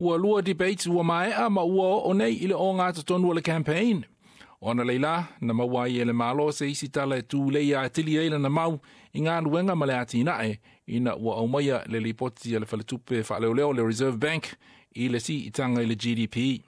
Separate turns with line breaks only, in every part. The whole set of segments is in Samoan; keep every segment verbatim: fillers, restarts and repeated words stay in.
Ua lua debates ua maea ma ua oo nei i le ogatotonu o le campaign. Ona leila, na maua ai e le Malo se isi tala e tulei atili ai lana mau i galuega ma le atinae ina ua aumaia le lipoti a le faletupe faaleoleo le Reserve Bank i le siitaga i le G D P.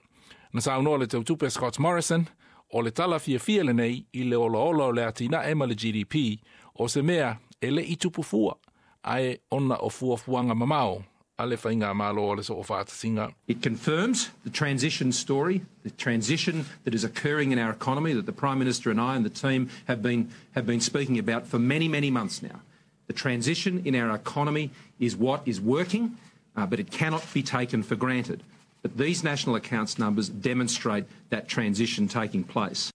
Na saunoa le tautupe Scott Morrison, o le tala fiafia lenei i le olaola o le atinae ma le G D P o se mea e le i tupu fua, ae ona o fuafuaga mamao a le faigamalo o le Soofaatasiga.
It confirms the transition story, the transition that is occurring in our economy that the Prime Minister and I and the team have been, have been speaking about for many, many months now. The transition in our economy is what is working, uh, but it cannot be taken for granted. But these national accounts numbers demonstrate that transition taking place.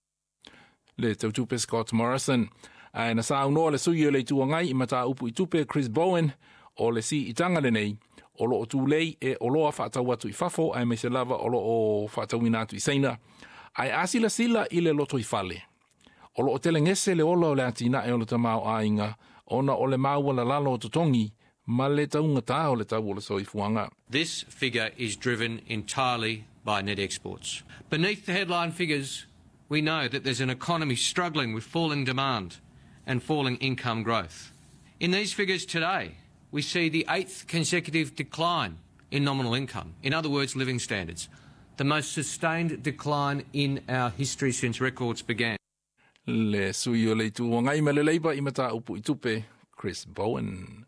Le tautupe Scott Morrison. Ae na saunoa le sui o le Itu Agai i mataupu i tupe Chris Bowen, o le siitaga lenei o loo tulei e oloa faatau atu i fafo aemaise lava o loo faatauina atu i Saina. Ae a silasila i le lotoifale, o loo telegese le ola o le atinae o le tamaoaiga ona o le maualalalo o totogi ma le taugatā o le tau o le soifuaga.
This figure is driven entirely by net exports. Beneath the headline figures, we know that there's an economy struggling with falling demand and falling income growth. In these figures today, we see the eighth consecutive decline in nominal income. In other words, living standards. The most sustained decline in our history since records began.
Le sui o le Itu Agai ma le Leipa i mataupu i tupe, Chris Bowen.